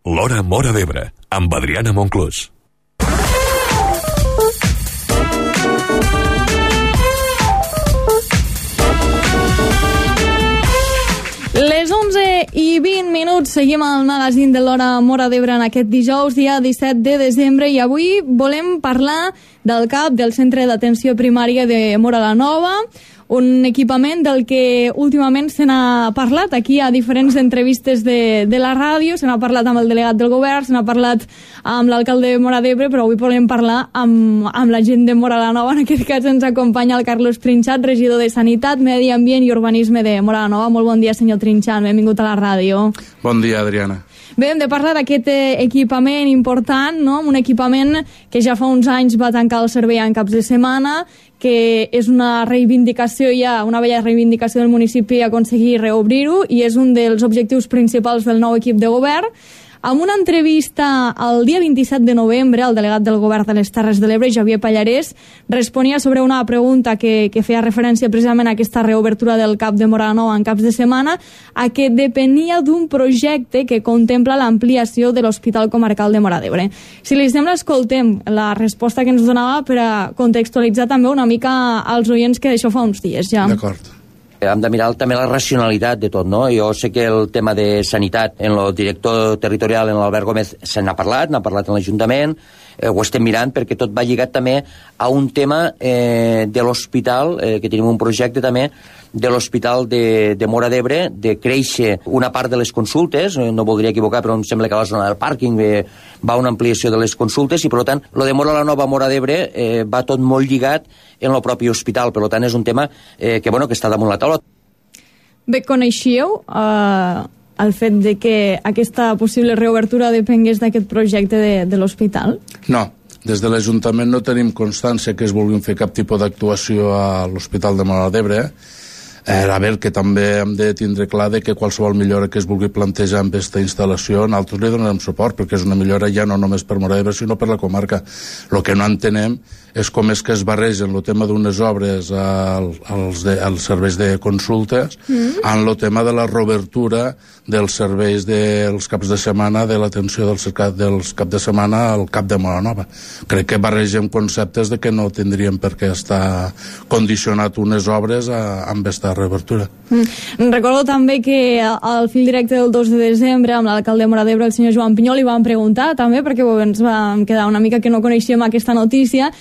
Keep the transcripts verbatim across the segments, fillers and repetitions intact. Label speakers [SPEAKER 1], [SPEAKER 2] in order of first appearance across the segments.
[SPEAKER 1] L'Hora Móra d'Ebre, amb Adriana Monclús.
[SPEAKER 2] Les onze i vint minuts, seguim al magazín de l'Hora Móra d'Ebre en aquest dijous, dia disset de desembre, i avui volem parlar del C A P, del Centre d'Atenció Primària de Móra la Nova, un equipament del que últimament se n'ha parlat aquí a diferents entrevistes de, de la ràdio, se n'ha parlat amb el delegat del govern, se n'ha parlat amb l'alcalde de Móra d'Ebre, però avui volem parlar amb, amb la gent de Móra la Nova. En aquest cas ens acompanya el Carlos Trinxat, regidor de Sanitat, Medi Ambient i Urbanisme de Móra la Nova. Molt bon dia, senyor Trinxat, benvingut a la ràdio.
[SPEAKER 3] Bon dia, Adriana.
[SPEAKER 2] Bé, hem de parlar d'aquest equipament important, no? Un equipament que ja fa uns anys va tancar el servei en caps de setmana, que és una reivindicació ja, una vella reivindicació del municipi aconseguir reobrir-ho, i és un dels objectius principals del nou equip de govern. En una entrevista el dia vint-i-set de novembre, el delegat del govern de les Terres de l'Ebre, Javier Pallarès, responia sobre una pregunta que, que feia referència precisament a aquesta reobertura del C A P de Móra la Nova en caps de setmana, a que depenia d'un projecte que contempla l'ampliació de l'Hospital Comarcal de Móra d'Ebre. Si li sembla, escoltem la resposta que ens donava per a contextualitzar també una mica als oients, que d'això fa uns dies ja.
[SPEAKER 3] D'acord.
[SPEAKER 4] Hem de mirar també la racionalitat de tot, no? Jo sé que el tema de sanitat en el director territorial, en l'Albert Gómez, se n'ha parlat, n'ha parlat en l'Ajuntament, eh, ho estem mirant perquè tot va lligat també a un tema eh, de l'hospital, eh, que tenim un projecte també de l'Hospital de, de Móra d'Ebre, de créixer una part de les consultes, no voldria equivocar, però em sembla que a la zona del pàrquing eh, va una ampliació de les consultes, i per tant, lo de Móra la Nova, Móra d'Ebre, eh, va tot molt lligat en el propi hospital, per tant és un tema eh, que, bueno, que està damunt la taula.
[SPEAKER 2] Bé, coneixíeu eh, el fet de que aquesta possible reobertura depengués d'aquest projecte de, de l'hospital?
[SPEAKER 3] No. Des de l'Ajuntament no tenim constància que es vulguin fer cap tipus d'actuació a l'Hospital de Móra d'Ebre. Eh, a veure, que també hem de tindre clar de que qualsevol millora que es vulgui plantejar amb aquesta instal·lació, nosaltres li donarem suport, perquè és una millora ja no només per Móra d'Ebre, sinó per la comarca. El que no entenem és com és que es barregen el tema d'unes obres al, als, de, als serveis de consultes mm. en el tema de la reobertura dels serveis dels caps de setmana, de l'atenció dels, dels caps de setmana al cap de Móra Nova. Crec que barregem conceptes de que no tindríem per què estar condicionat unes obres a, amb aquesta reobertura.
[SPEAKER 2] Mm. Recordo també que al fil directe del dos de desembre amb l'alcalde de Móra d'Ebre, el senyor Joan Pinyol, li van preguntar també, perquè ens vam quedar una mica que no coneixíem aquesta notícia,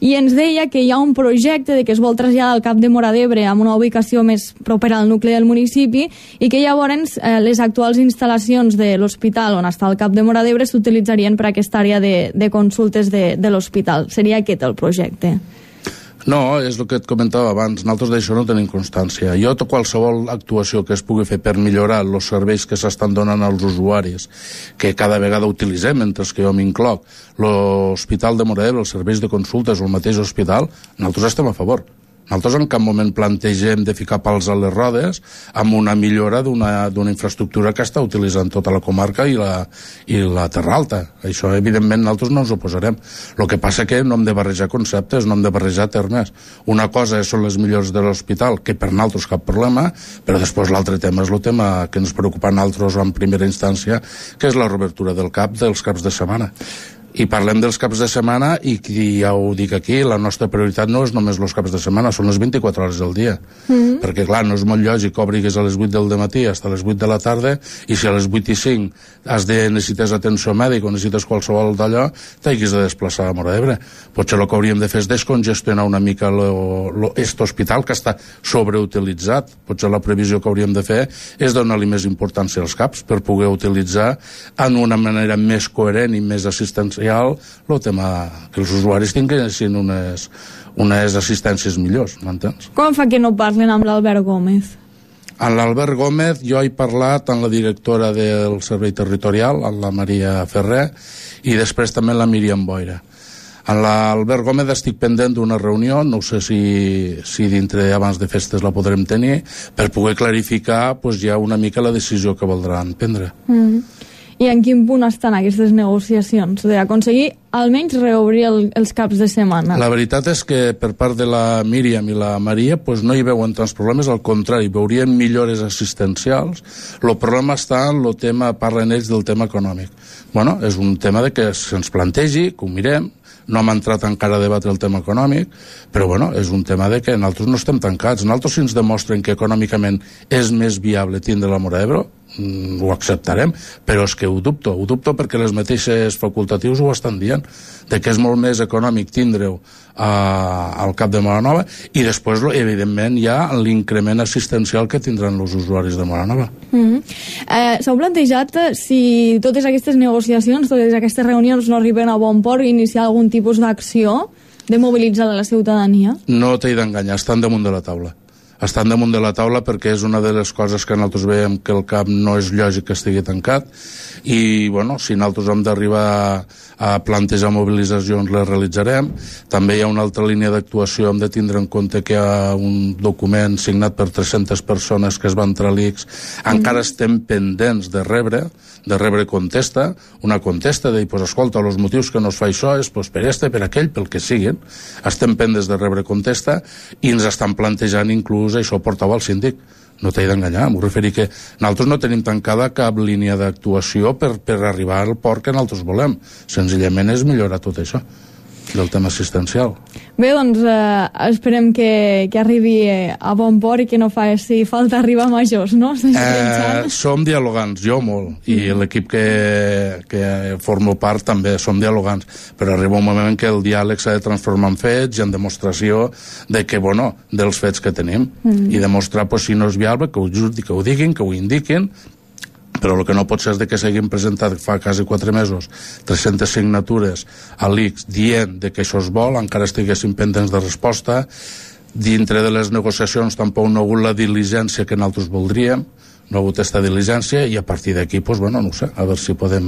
[SPEAKER 2] i ens deia que hi ha un projecte de que es vol traslladar al Cap de Móra d'Ebre amb una ubicació més propera al nucli del municipi, i que llavors eh, les actuals instal·lacions de l'hospital on està el Cap de Móra d'Ebre s'utilitzarien per a aquesta àrea de, de consultes de, de l'hospital. Seria aquest el projecte?
[SPEAKER 3] No, és el que et comentava abans. Nosaltres d'això no tenim constància. Jo, qualsevol actuació que es pugui fer per millorar els serveis que s'estan donant als usuaris, que cada vegada utilitzem, mentre que jo m'incloc, l'Hospital de Móra d'Ebre, els serveis de consultes o el mateix hospital, nosaltres estem a favor. Nosaltres en cap moment plantegem de ficar pals a les rodes amb una millora d'una infraestructura que està utilitzant tota la comarca i la, i la Terra Alta. Això, evidentment, nosaltres no ens oposarem. El que passa que no hem de barrejar conceptes, no hem de barrejar termes. Una cosa són les millores de l'hospital, que per nosaltres cap problema, però després l'altre tema és el tema que ens preocupa a nosaltres en primera instància, que és la reobertura del CAP dels caps de setmana. I parlem dels caps de setmana, i ja ho dic aquí, la nostra prioritat no és només els caps de setmana, són les vint-i-quatre hores del dia. Mm-hmm. Perquè, clar, no és molt lògic que obrigues a les vuit del dematí fins a les vuit de la tarda, i si a les vuit i cinc has de necessites atenció mèdica o necessites qualsevol d'allò, t'hagis de desplaçar a Móra d'Ebre. Potser el que hauríem de fer és descongestionar una mica aquest hospital, que està sobreutilitzat. Potser la previsió que hauríem de fer és donar-li més importància als caps per poder utilitzar en una manera més coherent i més assistencial el tema que els usuaris tinguessin unes, unes assistències millors, m'entens?
[SPEAKER 2] Com fa que no parlen amb l'Albert Gómez?
[SPEAKER 3] Amb l'Albert Gómez jo he parlat amb la directora del Servei Territorial, amb la Maria Ferrer, i després també amb la Míriam Boira. Amb l'Albert Gómez estic pendent d'una reunió, no sé si, si dintre abans de festes la podrem tenir, per poder clarificar pues, ja una mica la decisió que voldran prendre.
[SPEAKER 2] Mm-hmm. I en quin punt estan aquestes negociacions d'aconseguir almenys reobrir el, els caps de setmana?
[SPEAKER 3] La veritat és que per part de la Míriam i la Maria pues, no hi veuen tants problemes, al contrari, veurien millores assistencials. El problema està en el tema, parlen ells del tema econòmic. Bueno, és un tema de que se'ns plantegi, que ho mirem, no hem entrat encara a debatre el tema econòmic, però bueno, és un tema de que nosaltres no estem tancats. Nosaltres, si ens demostren que econòmicament és més viable tindre la Móra d'Ebre, mm, ho acceptarem, però és que ho dubto, ho dubto perquè les mateixes facultatius ho estan dient, de que és molt més econòmic tindre-ho al cap de Móra Nova, i després, evidentment, hi ha l'increment assistencial que tindran els usuaris de Móra Nova.
[SPEAKER 2] Mm-hmm. eh, S'heu plantejat si totes aquestes negociacions, totes aquestes reunions no arriben a bon port, iniciar algun tipus d'acció de mobilitzar la ciutadania?
[SPEAKER 3] No t'he d'enganyar, estan damunt de la taula. Estan damunt de la taula perquè és una de les coses que nosaltres veiem que el cap no és lògic que estigui tancat, i bueno, si nosaltres hem d'arribar a plantejar mobilitzacions les realitzarem. També hi ha una altra línia d'actuació, hem de tindre en compte que hi ha un document signat per tres-centes persones que es van entrar a l'I X, encara estem pendents de rebre de rebre contesta, una contesta de dir, pues, escolta, els motius que no es fa això és pues, per este, per aquell, pel que siguin. Estem pendents de rebre contesta i ens estan plantejant inclús això portava al síndic. No t'he d'enganyar, m'ho referir que nosaltres no tenim tancada cap línia d'actuació per, per arribar al port que nosaltres volem. Senzillament és millorar tot això del tema assistencial.
[SPEAKER 2] Bé, doncs eh, esperem que, que arribi a bon port i que no faci falta arribar a majors, no?
[SPEAKER 3] Eh, som dialogants, jo molt, i mm. l'equip que, que formo part també som dialogants, però arriba un moment en què el diàleg s'ha de transformar en fets i en demostració de que, bueno, dels fets que tenim, mm. i demostrar, pues, si no és viable, que ho, que ho diguin, que ho indiquin, però el que no pot ser és de que s'hagin presentat fa quasi quatre mesos tres-centes signatures a l'I X dient de que això es vol, encara estiguessin pendents de resposta. Dintre de les negociacions tampoc no ha hagut la diligència que nosaltres voldríem, no ha hagut aquesta diligència, i a partir d'aquí, pues, bueno, no ho sé, a veure si podem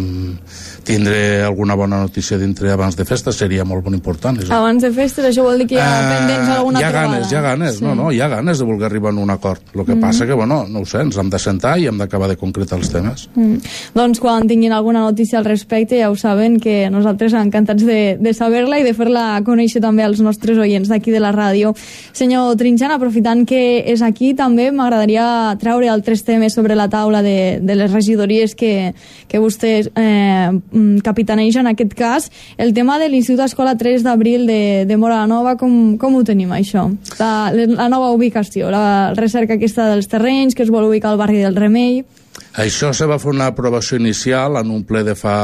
[SPEAKER 3] tindre alguna bona notícia dintre abans de festes, seria molt bon important. És...
[SPEAKER 2] Abans de festes, això vol dir que hi ha uh, pendents alguna
[SPEAKER 3] hi ha
[SPEAKER 2] trobada?
[SPEAKER 3] Ganes, hi ha ganes, sí. no, no, hi ha ganes de voler arribar a un acord. El que mm. passa que, bueno, no ho sé, ens hem de sentar i hem d'acabar de concretar els temes.
[SPEAKER 2] Mm. Doncs quan tinguin alguna notícia al respecte ja ho saben, que nosaltres encantats de, de saber-la i de fer-la conèixer també als nostres oients d'aquí de la ràdio. Senyor Trinxant, aprofitant que és aquí, també m'agradaria treure altres temes sobre la taula de, de les regidories que, que vostès eh, capitanegen en aquest cas. El tema de l'Institut Escola tres d'abril de, de Móra Nova, com, com ho tenim això? La, la nova ubicació, la recerca aquesta dels terrenys, que es vol ubicar al barri del Remei.
[SPEAKER 3] Això se va fer una aprovació inicial en un ple de fa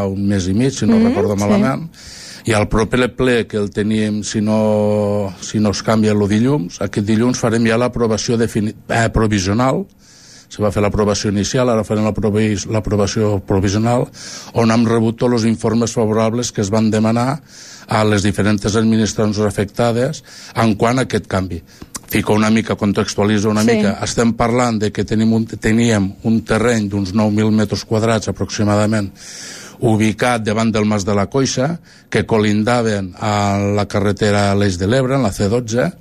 [SPEAKER 3] un mes i mig, si no mm, recordo malament, sí. I al proper ple que el tenim, si no, si no es canvia el dilluns, aquest dilluns farem ja l'aprovació eh, provisional. Se va fer l'aprovació inicial, ara farem l'aprovació provisional, on hem rebut tots els informes favorables que es van demanar a les diferents administracions afectades en quant a aquest canvi. Fico una mica, contextualitza una sí. mica. Estem parlant de que tenim un, teníem un terreny d'uns nou mil metres quadrats aproximadament, ubicat davant del Mas de la Coixa, que colindaven a la carretera a l'Eix de l'Ebre, en la C dotze,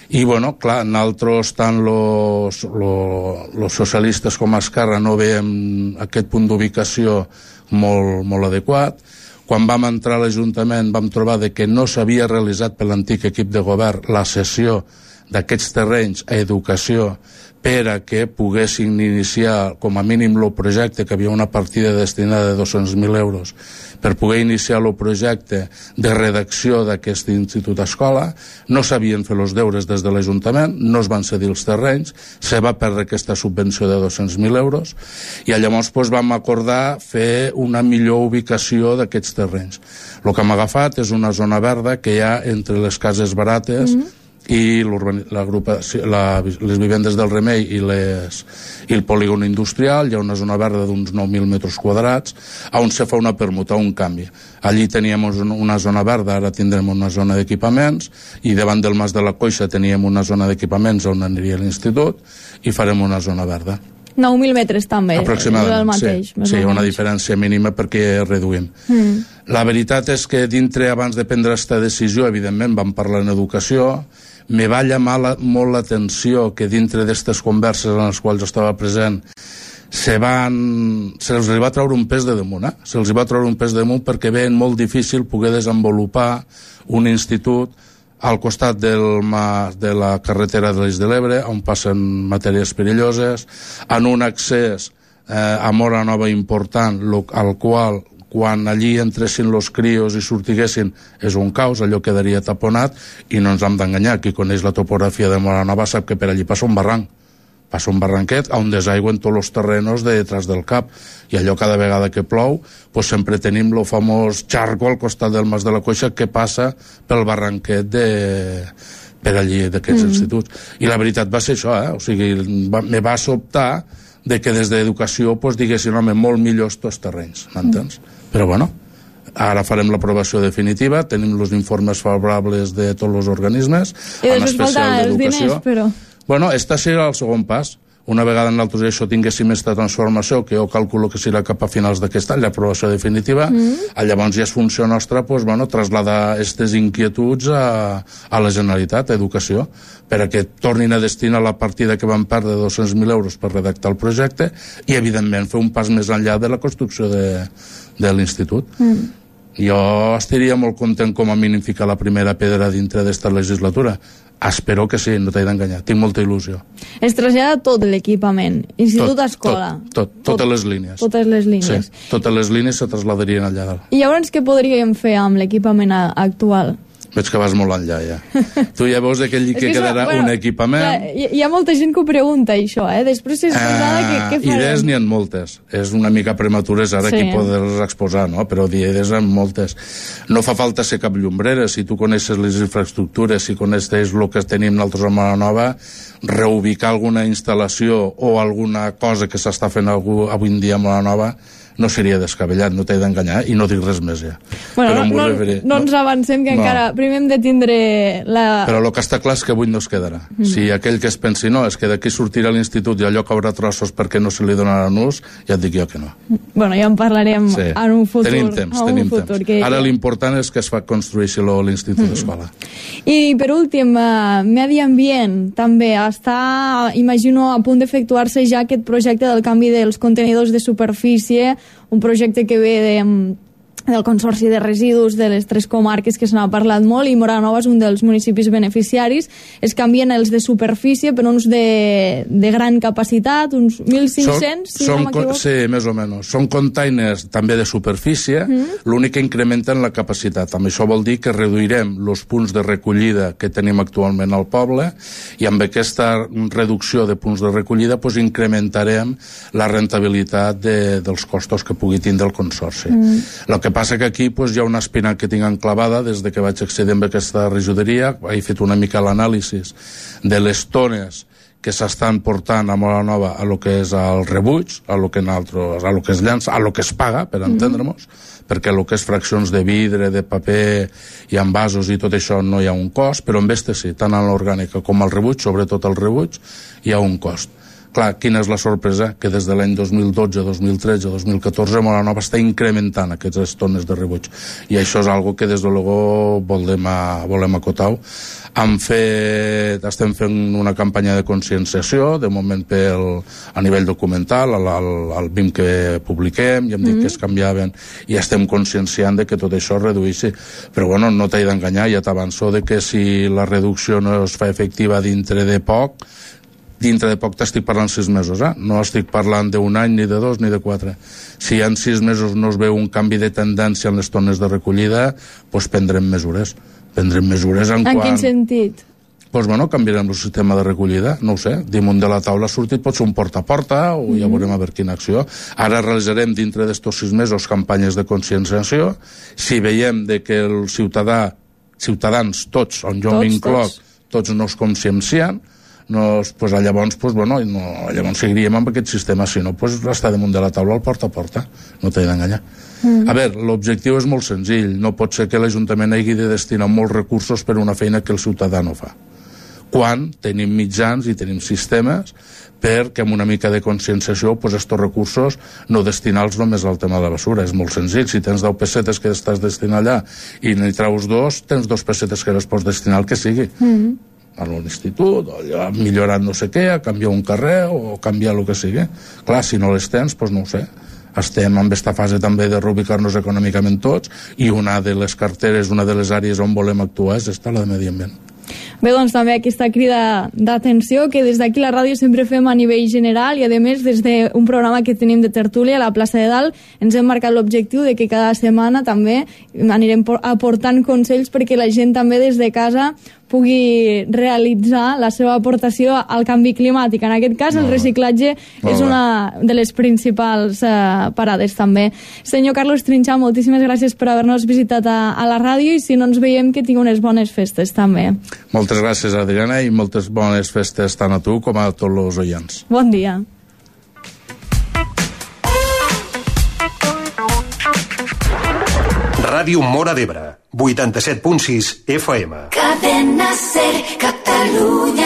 [SPEAKER 3] i, bueno, clar, nosaltres, tant los, los, los socialistes com a Esquerra, no veiem aquest punt d'ubicació molt, molt adequat. Quan vam entrar a l'Ajuntament vam trobar de que no s'havia realitzat per l'antic equip de govern la cessió d'aquests terrenys a educació per a que poguessin iniciar com a mínim el projecte, que havia una partida destinada de dos-cents mil euros per poder iniciar el projecte de redacció d'aquest institut escola. No sabien fer els deures des de l'Ajuntament, no es van cedir els terrenys, se va perdre aquesta subvenció de dos-cents mil euros, i llavors pues, vam acordar fer una millor ubicació d'aquests terrenys. El que hem agafat és una zona verda que hi ha entre les cases barates mm-hmm. i la grupa, la, les vivendes del Remei i, les, i el polígon industrial. Hi ha una zona verda d'uns nou mil metres quadrats on se fa una permuta, un canvi. Allí teníem una zona verda, ara tindrem una zona d'equipaments, i davant del Mas de la Coixa teníem una zona d'equipaments on aniria l'institut, i farem una zona verda.
[SPEAKER 2] nou mil metres també,
[SPEAKER 3] aproximadament,
[SPEAKER 2] el mateix.
[SPEAKER 3] Sí, sí, una diferència mínima perquè reduïm. Mm. La veritat és que dintre, abans de prendre aquesta decisió, evidentment vam parlar en educació. Me va llamar la, molt l'atenció que dintre d'aquestes converses en les quals estava present se van, se'ls va treure un pes de damunt, eh? Se'ls va treure un pes de damunt perquè veien molt difícil poder desenvolupar un institut al costat del mas, de la carretera de l'Eix de l'Ebre, on passen matèries perilloses, en un accés eh, a Móra Nova important, lo, al qual quan allí entressin los crios i sortiguessin és un caos, allò quedaria taponat, i no ens hem d'enganyar, qui coneix la topografia de Móra Nova sap que per allí passa un barranc, passa un barranquet on desaigüen tots els terrenos de detrás del cap, i allò cada vegada que plou pues sempre tenim el famós xarco al costat del Mas de la Coixa que passa pel barranquet de... per allí d'aquests mm. instituts. I la veritat va ser això, eh? O sigui, va, me va sobtar de que des d'educació pues, diguessin, home, molt millors tots terrenys, m'entens? Mm. Però bueno, ara farem l'aprovació definitiva, tenim els informes favorables de tots els organismes,
[SPEAKER 2] i després falta els diners, però...
[SPEAKER 3] Bueno, este serà el segon pas. Una vegada nosaltres això tinguéssim aquesta transformació, que jo calculo que serà cap a finals d'aquest any, l'aprovació definitiva, mm. llavors ja és funció nostra pues, bueno, trasladar aquestes inquietuds a, a la Generalitat, a Educació, perquè tornin a destinar la partida que van perdre de dos-cents mil euros per redactar el projecte i, evidentment, fer un pas més enllà de la construcció de, de l'institut. Mm. Jo estaria molt content com a mínim ficar la primera pedra dintre d'esta legislatura. Espero que sí, no t'he d'enganyar. Tinc molta il·lusió.
[SPEAKER 2] Es trasllada tot l'equipament, institut, escola.
[SPEAKER 3] Tot, tot, tot, totes les línies.
[SPEAKER 2] Totes les línies.
[SPEAKER 3] Sí, totes les línies se trasladarien allà dalt.
[SPEAKER 2] I llavors què podríem fer amb l'equipament actual?
[SPEAKER 3] Veig que vas molt enllà, ja. Tu ja veus que allí que, que quedarà això, bueno, un equipament...
[SPEAKER 2] Clar, hi, hi ha molta gent que ho pregunta, això, eh? Després si es pensava uh, que, què farem?
[SPEAKER 3] Idees n'hi ha moltes. És una mica prematures ara sí. Aquí poder-les exposar, no? Però idees n'hi ha moltes. No fa falta ser cap llombrera. Si tu coneixes les infraestructures, si coneixes el que tenim nosaltres a Móra Nova, reubicar alguna instal·lació o alguna cosa que s'està fent avui en dia a Móra Nova no seria descabellat, no t'he d'enganyar, i no dic res més ja.
[SPEAKER 2] Bueno, però no, no, referir, no, no ens avancem, que no. Encara primer hem de tindre la...
[SPEAKER 3] Però el que està clar és que avui no es quedarà. Mm. Si aquell que es pensi, no, és que d'aquí sortirà l'institut i allò caurà trossos perquè no se li donaran ús, ja et dic jo que no.
[SPEAKER 2] Bueno, ja en parlarem sí. en un futur.
[SPEAKER 3] Tenim temps, tenim futur, temps. Que... Ara l'important és que es fa construir-se l'institut mm. d'escola.
[SPEAKER 2] I per últim, uh, Medi Ambient, també està, imagino, a punt d'efectuar-se ja aquest projecte del canvi dels contenidors de superfície, un projecte que ve de, del Consorci de Residus de les tres comarques que se n'ha parlat molt, i Móra Nova és un dels municipis beneficiaris. Es canvien els de superfície per uns de, de gran capacitat, uns mil cinc-cents, si no m'equivoco.
[SPEAKER 3] Sí, més o menys. Són containers també de superfície, mm. l'únic que incrementen la capacitat. Amb això vol dir que reduirem els punts de recollida que tenim actualment al poble, i amb aquesta reducció de punts de recollida pues, incrementarem la rentabilitat de, dels costos que pugui tindre el Consorci. Mm. El que passa que aquí pues, hi ha una espina que tinc enclavada des de que vaig accedir amb aquesta regidoria. He fet una mica l'anàlisi de les tones que s'estan portant a Móra Nova a lo que és el rebuig, a lo que, nosaltres, a lo que es llança, a lo que es paga, per entendre-nos, mm-hmm. perquè el que és fraccions de vidre, de paper i envasos i tot això no hi ha un cost, però en este sí, tant en l'orgànica com al rebuig, sobretot al rebuig, hi ha un cost. Clar, quina és la sorpresa? Que des de l'any dos mil dotze, dos mil tretze, dos mil catorze Móra Nova està incrementant aquestes tones de rebuig, i això és algo que des de luego volem, a, volem acotar. Hem fet, estem fent una campanya de conscienciació, de moment pel, a nivell documental, al, al, al B I M que publiquem, i hem dit mm. que es canviaven, i estem conscienciant de que tot això es reduïssi. Però bueno, no t'he d'enganyar, ja t'avanço de que si la reducció no es fa efectiva dintre de poc, dintre de poc t'estic parlant sis mesos, eh? No estic parlant d'un any, ni de dos, ni de quatre. Si en sis mesos no es veu un canvi de tendència en les tones de recollida, doncs prendrem mesures. Prendrem mesures en,
[SPEAKER 2] en
[SPEAKER 3] quan...
[SPEAKER 2] quin sentit?
[SPEAKER 3] Doncs bueno, canviarem el sistema de recollida, no ho sé, damunt de la taula ha sortit, pot ser un porta a porta, o mm-hmm. ja veurem a veure quina acció. Ara realitzarem dintre d'estos sis mesos campanyes de conscienciació. Si veiem de que el ciutadà, ciutadans, tots, on jo m'incloc, tots. tots no es consciencien, no, pues, llavors, pues, bueno, no, llavors seguiríem amb aquest sistema, si no, pues, està damunt de la taula al porta a porta, no t'he d'enganyar. Mm. A veure, l'objectiu és molt senzill, no pot ser que l'Ajuntament hagi de destinar molts recursos per una feina que el ciutadà no fa, quan tenim mitjans i tenim sistemes perquè amb una mica de conscienciació pues, estos recursos no destinar-los només al tema de la basura. És molt senzill, si tens deu pessetes que estàs destinant allà i n'hi traus dos, tens dos pessetes que les pots destinar al que sigui. Mm. a l'institut, o ha millorat no sé què, ha canviat un carrer o canviar el que sigui. Clar, si no les tens, doncs no ho sé. Estem en aquesta fase també de reubicar-nos econòmicament tots, i una de les carteres, una de les àrees on volem actuar és esta, la de medi ambient.
[SPEAKER 2] Bé, doncs també aquesta crida d'atenció que des d'aquí la ràdio sempre fem a nivell general, i a més des d'un programa que tenim de tertúlia a la plaça de Dalt ens hem marcat l'objectiu de que cada setmana també anirem aportant consells perquè la gent també des de casa pugui realitzar la seva aportació al canvi climàtic. En aquest cas, el reciclatge és una de les principals eh, parades també. Senyor Carlos Trinxà, moltíssimes gràcies per haver-nos visitat a, a la ràdio, i si no ens veiem, que tingui unes bones festes també.
[SPEAKER 3] Moltes gràcies, Adriana, i moltes bones festes tant a tu com a tots els oients.
[SPEAKER 2] Bon dia.
[SPEAKER 5] Ràdio Móra d'Ebre, vuitanta-set punt sis F M.
[SPEAKER 6] Cadena Ser, Catalunya.